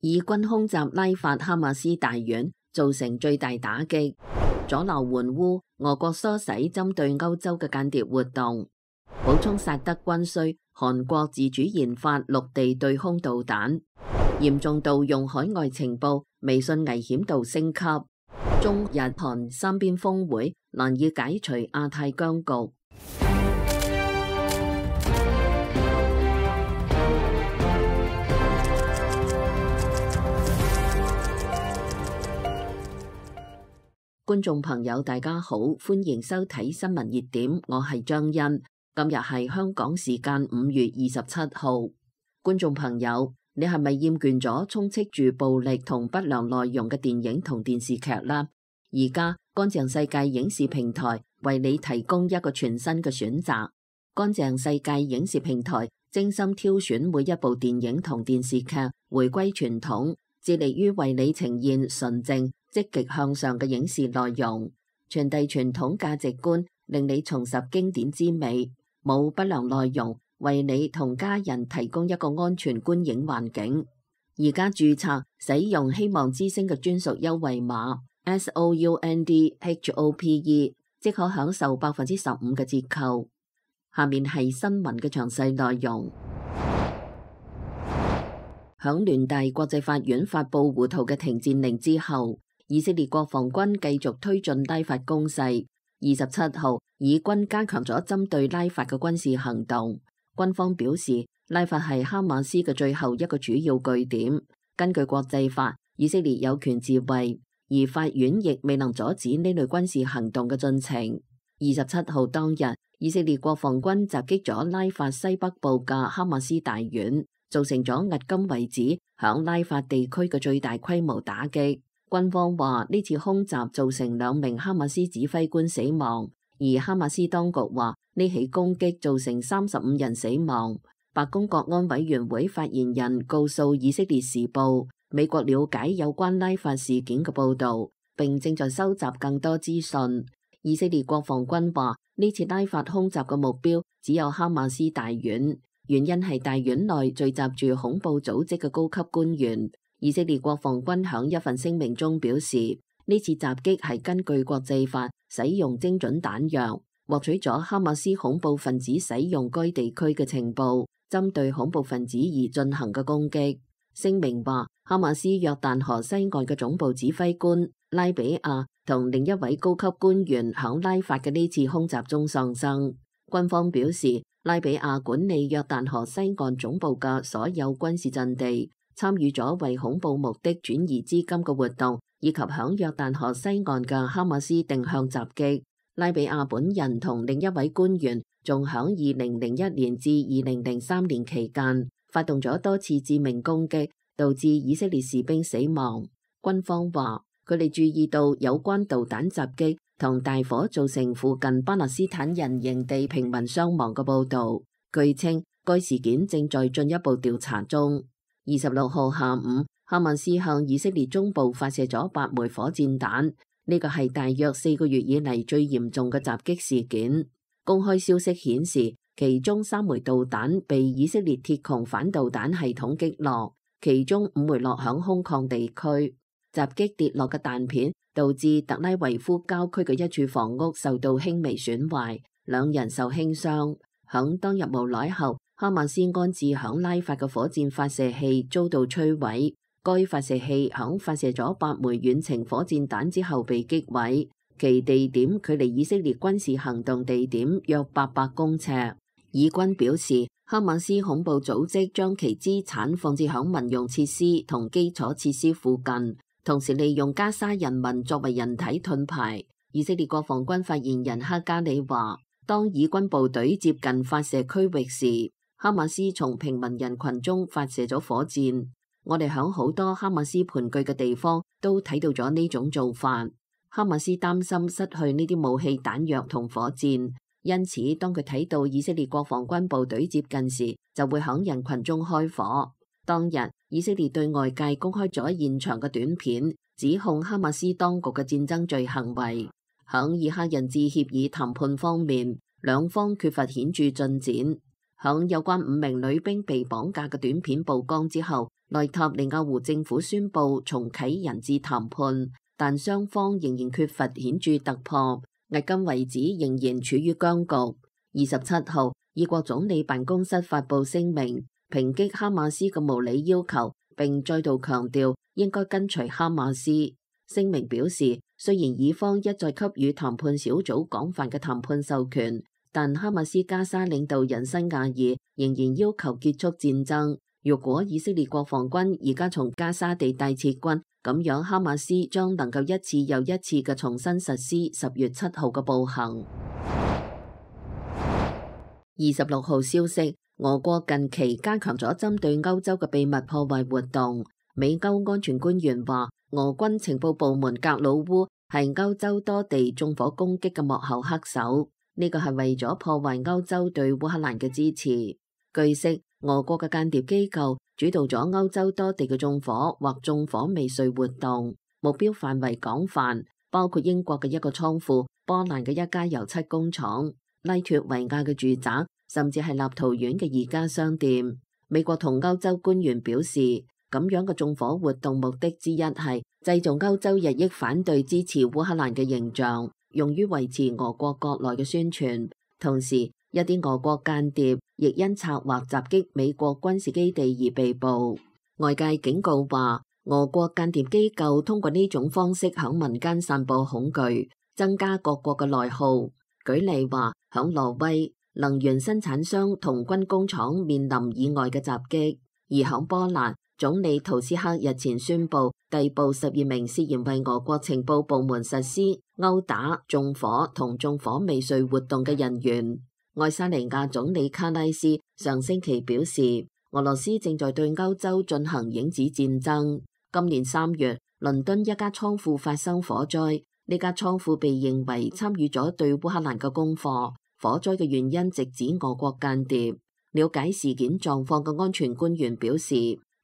以軍空襲拉法哈馬斯大院，造成最大打擊，阻撓援烏，俄國唆使針對歐洲嘅間諜活動，補充薩德軍需，韓國自主研發陸地對空導彈，嚴重盜用海外情報，微信危險度升級，中日韓三邊峰會難以解除亞太僵局。觀眾朋友大家好，歡迎收睇新聞熱點，我係張欣。今日係香港時間5月27號。觀眾朋友，你係咪厭倦咗充斥住暴力同不良內容嘅電影同電視劇啦？而家乾淨世界影視平台為你提供一個全新嘅選擇。乾淨世界影視平台精心挑選每一部電影同電視劇，回歸傳統，致力於為你呈現純正積極向上嘅影視內容，傳遞傳統價值觀，令你重拾經典之美，冇不良內容，為你同家人提供一個安全觀影環境。而家註冊使用希望之聲嘅專屬優惠碼 SOUNDHOPE， 即可享受15%嘅折扣。下面係新聞嘅詳細內容。響聯大國際法院發布胡圖嘅停戰令之後，以色列國防軍繼續推進拉法攻勢。27號，以軍加強咗針對拉法嘅軍事行動。軍方表示，拉法係哈馬斯嘅最後一個主要據點。根據國際法，以色列有權自衛，而法院亦未能阻止呢類軍事行動嘅進程。27號當日，以色列國防軍襲擊咗拉法西北部嘅哈馬斯大院，造成咗迄今為止響拉法地區嘅最大規模打擊。軍方話呢次空襲造成2名哈馬斯指揮官死亡，而哈馬斯當局話呢起攻擊造成35人死亡。白宮國安委員會發言人告訴以色列時報，美國了解有關拉法事件嘅報導，並正在收集更多資訊。以色列國防軍話呢次拉法空襲嘅目標只有哈馬斯大院，原因係大院內聚集住恐怖組織嘅高級官員。以色列國防軍響一份聲明中表示，呢次襲擊係根據國際法使用精準彈藥，獲取咗哈馬斯恐怖分子使用該地區嘅情報，針對恐怖分子而進行嘅攻擊。聲明話，哈馬斯約旦河西岸嘅總部指揮官拉比亞同另一位高級官員響拉法嘅呢次空襲中喪生。軍方表示，拉比亞管理約旦河西岸總部嘅所有軍事陣地，參與咗為恐怖目的轉移資金嘅活動，以及響約旦河西岸嘅哈馬斯定向襲擊。拉比亞本人同另一位官員仲響2001年至2003年期間發動咗多次致命攻擊，導致以色列士兵死亡。軍方話佢哋注意到有關導彈襲擊同大火造成附近巴勒斯坦人營地平民傷亡嘅報導。據稱，該事件正在進一步調查中。26號下午，哈馬斯向以色列中部發射咗8枚火箭彈，呢個係大約4個月以嚟最嚴重嘅襲擊事件。公開消息顯示，其中3枚導彈被以色列鐵穹反導彈系統擊落，其中5枚落響空曠地區。襲擊跌落嘅彈片導致特拉維夫郊區嘅一處房屋受到輕微損壞，2人受輕傷。響當日無耐後，哈馬斯安置響拉法嘅火箭發射器遭到摧毀，該發射器響發射咗8枚遠程火箭彈之後被擊毀，其地點距離以色列軍事行動地點約800公尺。以軍表示，哈馬斯恐怖組織將其資產放置響民用設施同基礎設施附近，同時利用加沙人民作為人體盾牌。以色列國防軍發言人哈加里話，當以軍部隊接近發射區域時，哈馬斯從平民人群中發射咗火箭。我哋響好多哈馬斯盤踞嘅地方都睇到咗呢種做法。哈馬斯擔心失去呢啲武器彈藥同火箭，因此當佢睇到以色列國防軍部隊接近時，就會響人群中開火。當日以色列對外界公開咗現場嘅短片，指控哈馬斯當局嘅戰爭罪行為。響以哈人質協議談判方面，兩方缺乏顯著進展。響有關5名女兵被綁架嘅短片曝光之後，內塔尼亞胡政府宣布重啟人質談判，但雙方仍然缺乏顯著突破，迄今為止仍然處於僵局。27號，以國總理辦公室發布聲明，抨擊哈馬斯嘅無理要求，並再度強調應該跟隨哈馬斯。聲明表示，雖然以方一再給予談判小組廣泛嘅談判授權，但哈馬斯加沙領導人辛亞爾仍然要求結束戰爭。如果以色列國防軍而家從加沙地帶撤軍，咁樣哈馬斯將能夠一次又一次嘅重新實施10月7號嘅暴行。26號消息，俄國近期加強咗針對歐洲嘅秘密破壞活動。美歐安全官員話，俄軍情報部門格魯烏係歐洲多地縱火攻擊嘅幕後黑手，呢個係為咗破壞歐洲對烏克蘭嘅支持。據悉，俄國嘅間諜機構主導咗歐洲多地嘅縱火或縱火未遂活動，目標範圍廣泛，包括英國嘅一個倉庫、波蘭嘅一家油漆工廠、拉脫維亞嘅住宅，甚至係立陶宛嘅宜家商店。美國同歐洲官員表示，咁樣嘅縱火活動目的之一係製造歐洲日益反對支持烏克蘭嘅形象，用於維持俄國國內嘅宣傳。同時，一啲俄國間諜亦因策劃襲擊美國軍事基地而被捕。外界警告話，俄國間諜機構通過呢種方式響民間散播恐懼，增加各國嘅內耗。舉例話，響挪威，能源生產商同軍工廠面臨意外嘅襲擊；而響波蘭，總理圖斯克日前宣布逮捕12名涉嫌為俄國情報部門實施毆打、縱火同縱火未遂活動嘅人員。愛沙尼亞總理卡拉斯上星期表示，俄羅斯正在對歐洲進行影子戰爭。今年3月，倫敦一家倉庫發生火災，呢家倉庫被認為參與咗對烏克蘭嘅功課。火災嘅原因直指俄國間諜。了解事件狀況嘅安全官員表示，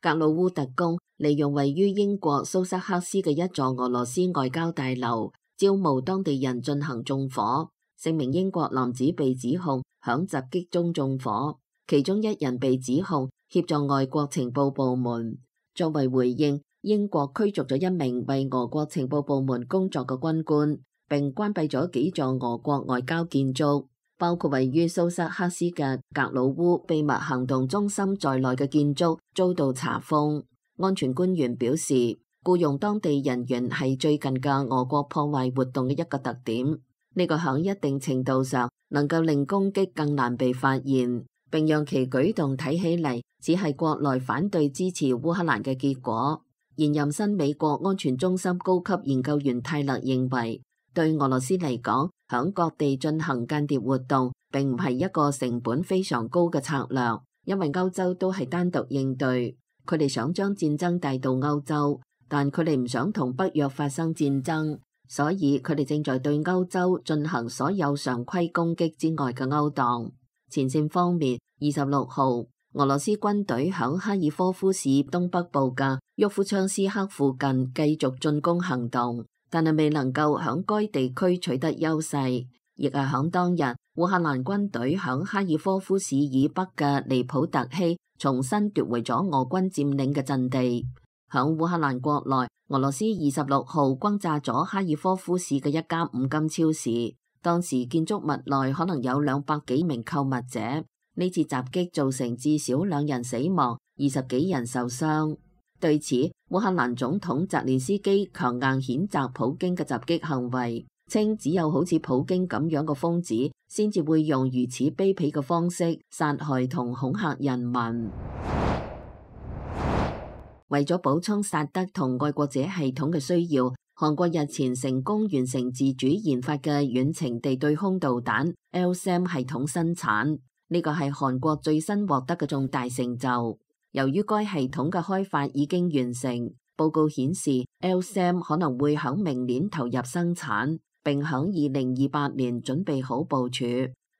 格魯烏特工利用位於英國蘇塞克斯嘅一座俄羅斯外交大樓，招募當地人進行縱火。4名英國男子被指控響襲擊中縱火，其中1人被指控協助外國情報部門。作為回應，英國驅逐咗1名為俄國情報部門工作嘅軍官，並關閉咗幾座俄國外交建築，包括位於蘇塞克斯嘅格魯烏秘密行動中心在內嘅建築遭到查封。安全官員表示，僱用當地人員係最近嘅俄國破壞活動嘅一個特點。呢個響一定程度上能夠令攻擊更難被發現，並讓其舉動睇起嚟只係國內反對支持烏克蘭嘅結果。現任新美國安全中心高級研究員泰勒認為，對俄羅斯嚟講，響各地進行間諜活動並唔係一個成本非常高嘅策略，因為歐洲都係單獨應對。佢哋想將戰爭帶到歐洲，但佢哋唔想同北約發生戰爭。所以佢哋正在對歐洲進行所有常規攻擊之外嘅勾當。前線方面，26號，俄羅斯軍隊響哈爾科夫市東北部嘅沃夫昌斯克附近繼續進攻行動，但係未能夠響該地區取得優勢。亦係響當日，烏克蘭軍隊響哈爾科夫市以北嘅尼普特希重新奪回咗俄軍佔領嘅陣地。響烏克蘭國內，俄羅斯26號轟炸咗哈爾科夫市嘅一家五金超市，當時建築物內可能有200幾名購物者。呢次襲擊造成至少2人死亡，20幾人受傷。對此，烏克蘭總統澤連斯基強硬譴責普京嘅襲擊行為，稱只有好似普京咁樣嘅瘋子先至會用如此卑鄙嘅方式殺害同恐嚇人民。為咗補充薩德同愛國者系統嘅需要，韓國日前成功完成自主研發嘅遠程地對空導彈 LSAM 系統生產，呢個係韓國最新獲得嘅重大成就。由於該系統嘅開發已經完成，報告顯示 LSAM 可能會響明年投入生產，並響2028年準備好部署。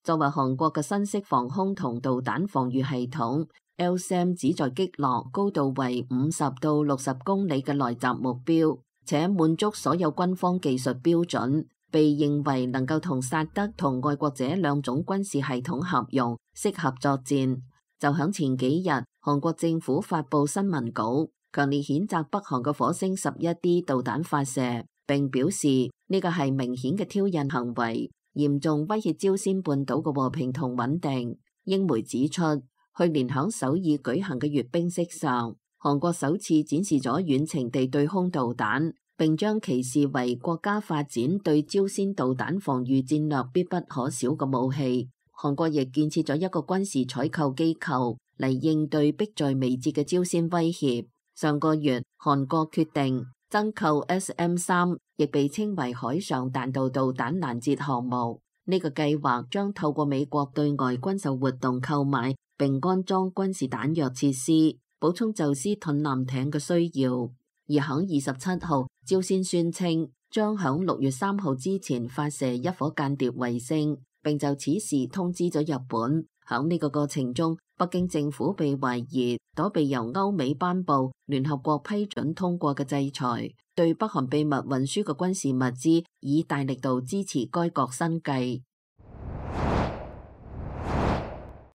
作為韓國嘅新式防空同導彈防禦系統，LSAM 旨在擊落高度為50到60公里嘅來襲目標，且滿足所有軍方技術標準，被認為能夠同薩德同愛國者兩種軍事系統合用，適合作戰。就響前幾日，韓國政府發布新聞稿，強烈譴責北韓嘅火星11D 導彈發射，並表示呢個係明顯嘅挑釁行為，嚴重威脅朝鮮半島嘅和平同穩定。英媒指出，去年響首爾舉行嘅閱兵式上，韓國首次展示咗遠程地對空導彈，並將其視為國家發展對朝鮮導彈防禦戰略必不可少嘅武器。韓國亦建設咗一個軍事採購機構嚟應對迫在眉睫嘅朝鮮威脅。上個月，韓國決定增購 SM-3，亦被稱為海上彈道導彈攔截項目。呢個計劃將透過美國對外軍售活動購買並安裝軍事彈藥設施，補充宙斯盾艦艇嘅需要。而響27號，朝鮮宣稱將響6月3號之前發射一顆間諜衛星，並就此事通知咗日本。響呢個過程中，北京政府被懷疑躲避由歐美頒布、聯合國批准通過嘅制裁，對北韓秘密運輸嘅軍事物資以大力度支持該國生計。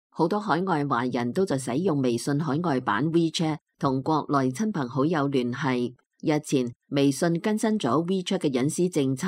好多海外華人都在使用微信海外版 WeChat 同國內親朋好友聯繫。日前，微信更新咗 WeChat 嘅隱私政策，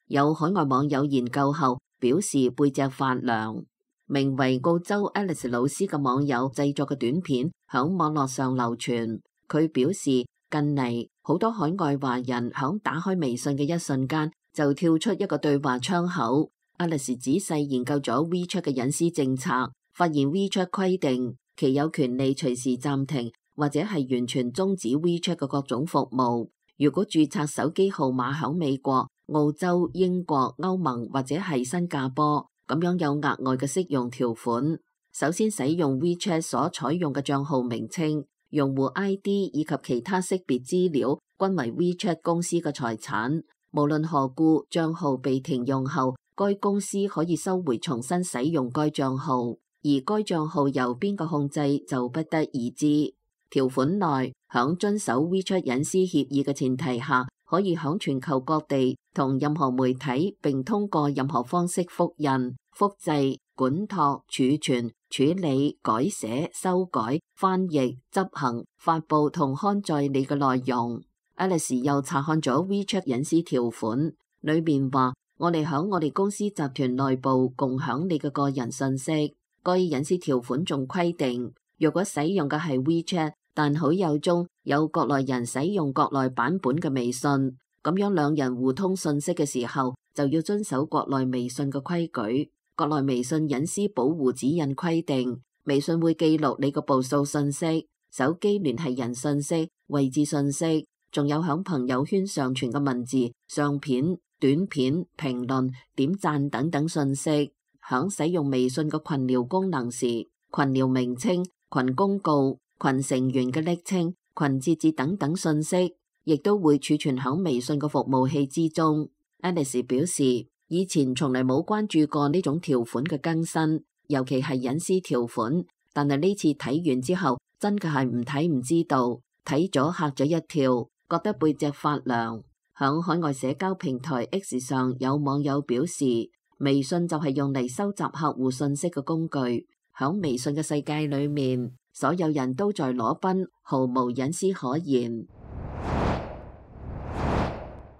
有海外網友研究後表示背脊發涼。名為澳洲 Alice 老師嘅網友製作嘅短片響網絡上流傳。佢表示，近嚟好多海外華人響打開微信嘅一瞬間就跳出一個對話窗口。Alice 仔細研究咗 WeChat 嘅隱私政策，發現 WeChat 規定其有權利隨時暫停或者係完全終止 WeChat 嘅各種服務。如果註冊手機號碼響美國、澳洲、英國、歐盟或者係新加坡，咁樣有額外嘅適用條款。首先，使用 WeChat 所採用嘅帳號名稱、用戶 ID 以及其他識別資料均為 WeChat 公司嘅財產。無論何故，帳號被停用後，該公司可以收回重新使用該帳號，而該帳號由邊個控制就不得而知。條款內響遵守 WeChat 隱私協議嘅前提下，可以響全球各地同任何媒體並通過任何方式複印、複製、管託、儲存、處理、改寫、修改、翻譯、執行、發佈同刊載你嘅內容。Alice 又查看咗 WeChat 隱私條款，裏面話我哋響我哋公司集團內部共享你嘅個人信息。該隱私條款仲規定，若果使用嘅係 WeChat，但好友中有國內人使用國內版本嘅微信，咁樣兩人互通信息嘅時候就要遵守國內微信嘅規矩。國內微信隱私保護指引規定，微信會記錄你個步數信息、手機聯繫人信息、位置信息，仲有響朋友圈上傳嘅文字、相片、短片、評論、點讚等等信息。響使用微信嘅群聊功能時，群聊名稱、群公告、群成員嘅昵稱、群節節等等信息，亦都會儲存響微信嘅服務器之中。Alice 表示，以前從來冇關注過呢種條款嘅更新，尤其係隱私條款，但係呢次睇完之後，真嘅係唔睇唔知道，睇咗嚇咗一跳，覺得背脊發涼。響海外社交平台 X 上，有網友表示，微信就係用嚟收集客戶信息嘅工具。響微信嘅世界裏面，所有人都在裸奔，毫無隱私可言。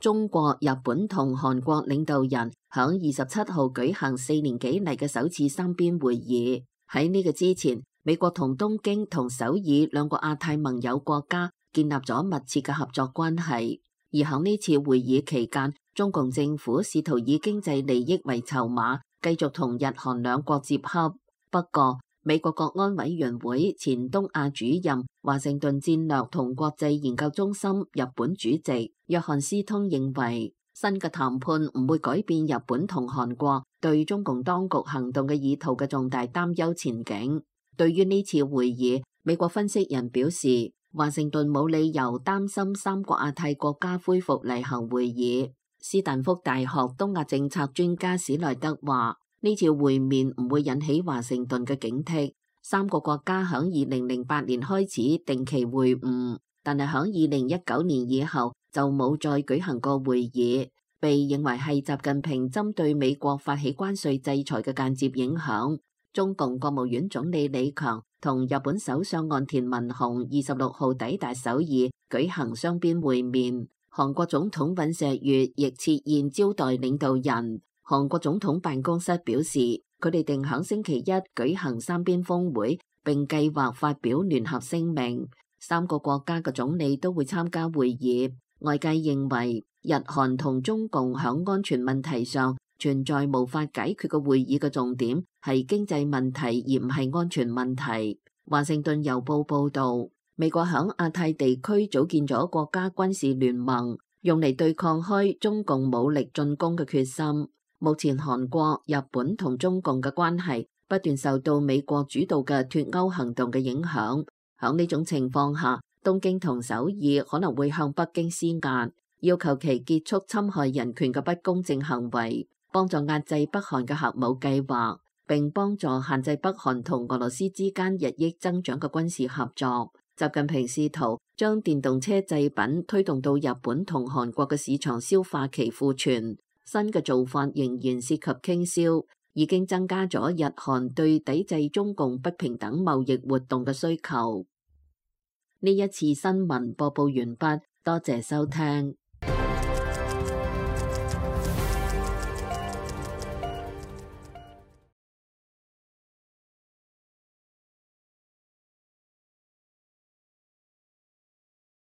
中國、日本同韓國領導人響27號舉行4年幾嚟嘅首次三邊會議。喺呢個之前，美國同東京同首爾兩個亞太盟友國家建立咗密切嘅合作關係。而響呢次會議期間，中共政府試圖以經濟利益為籌碼，繼續同日韓兩國接洽。不過，美國國安委員會前東亞主任、華盛頓戰略同國際研究中心日本主席約翰斯通認為，新嘅談判唔會改變日本同韓國對中共當局行動嘅意圖嘅重大擔憂前景。對於呢次會議，美國分析人表示，華盛頓冇理由擔心三個亞太國家恢復例行會議。斯坦福大學東亞政策專家史萊德話，呢次會面唔會引起華盛頓嘅警惕。三個國家響2008年開始定期會晤，但係響2019年以後就冇再舉行過會議，被認為係習近平針對美國發起關稅制裁嘅間接影響。中共國務院總理李強同日本首相岸田文雄26號抵達首爾舉行雙邊會面，韓國總統尹錫悅亦設宴招待領導人。韓國總統辦公室表示，佢哋定響星期一舉行三邊峰會，並計劃發表聯合聲明。三個國家嘅總理都會參加會議。外界認為，日韓同中共響安全問題上存在無法解決嘅會議嘅重點係經濟問題，而唔係安全問題。華盛頓郵報報導，美國響亞太地區組建咗國家軍事聯盟，用嚟對抗開中共武力進攻嘅決心。目前韓國、日本同中共嘅關係不斷受到美國主導嘅脫歐行動嘅影響。響呢種情況下，東京同首爾可能會向北京施壓，要求其結束侵害人權嘅不公正行為，幫助壓制北韓嘅核武計劃，並幫助限制北韓同俄羅斯之間日益增長嘅軍事合作。習近平試圖將電動車製品推動到日本同韓國嘅市場，消化其庫存。新嘅做法仍然涉及傾銷，已經增加咗日韓對抵制中共不平等貿易活動嘅需求。呢一次新聞播報完畢，多謝收聽。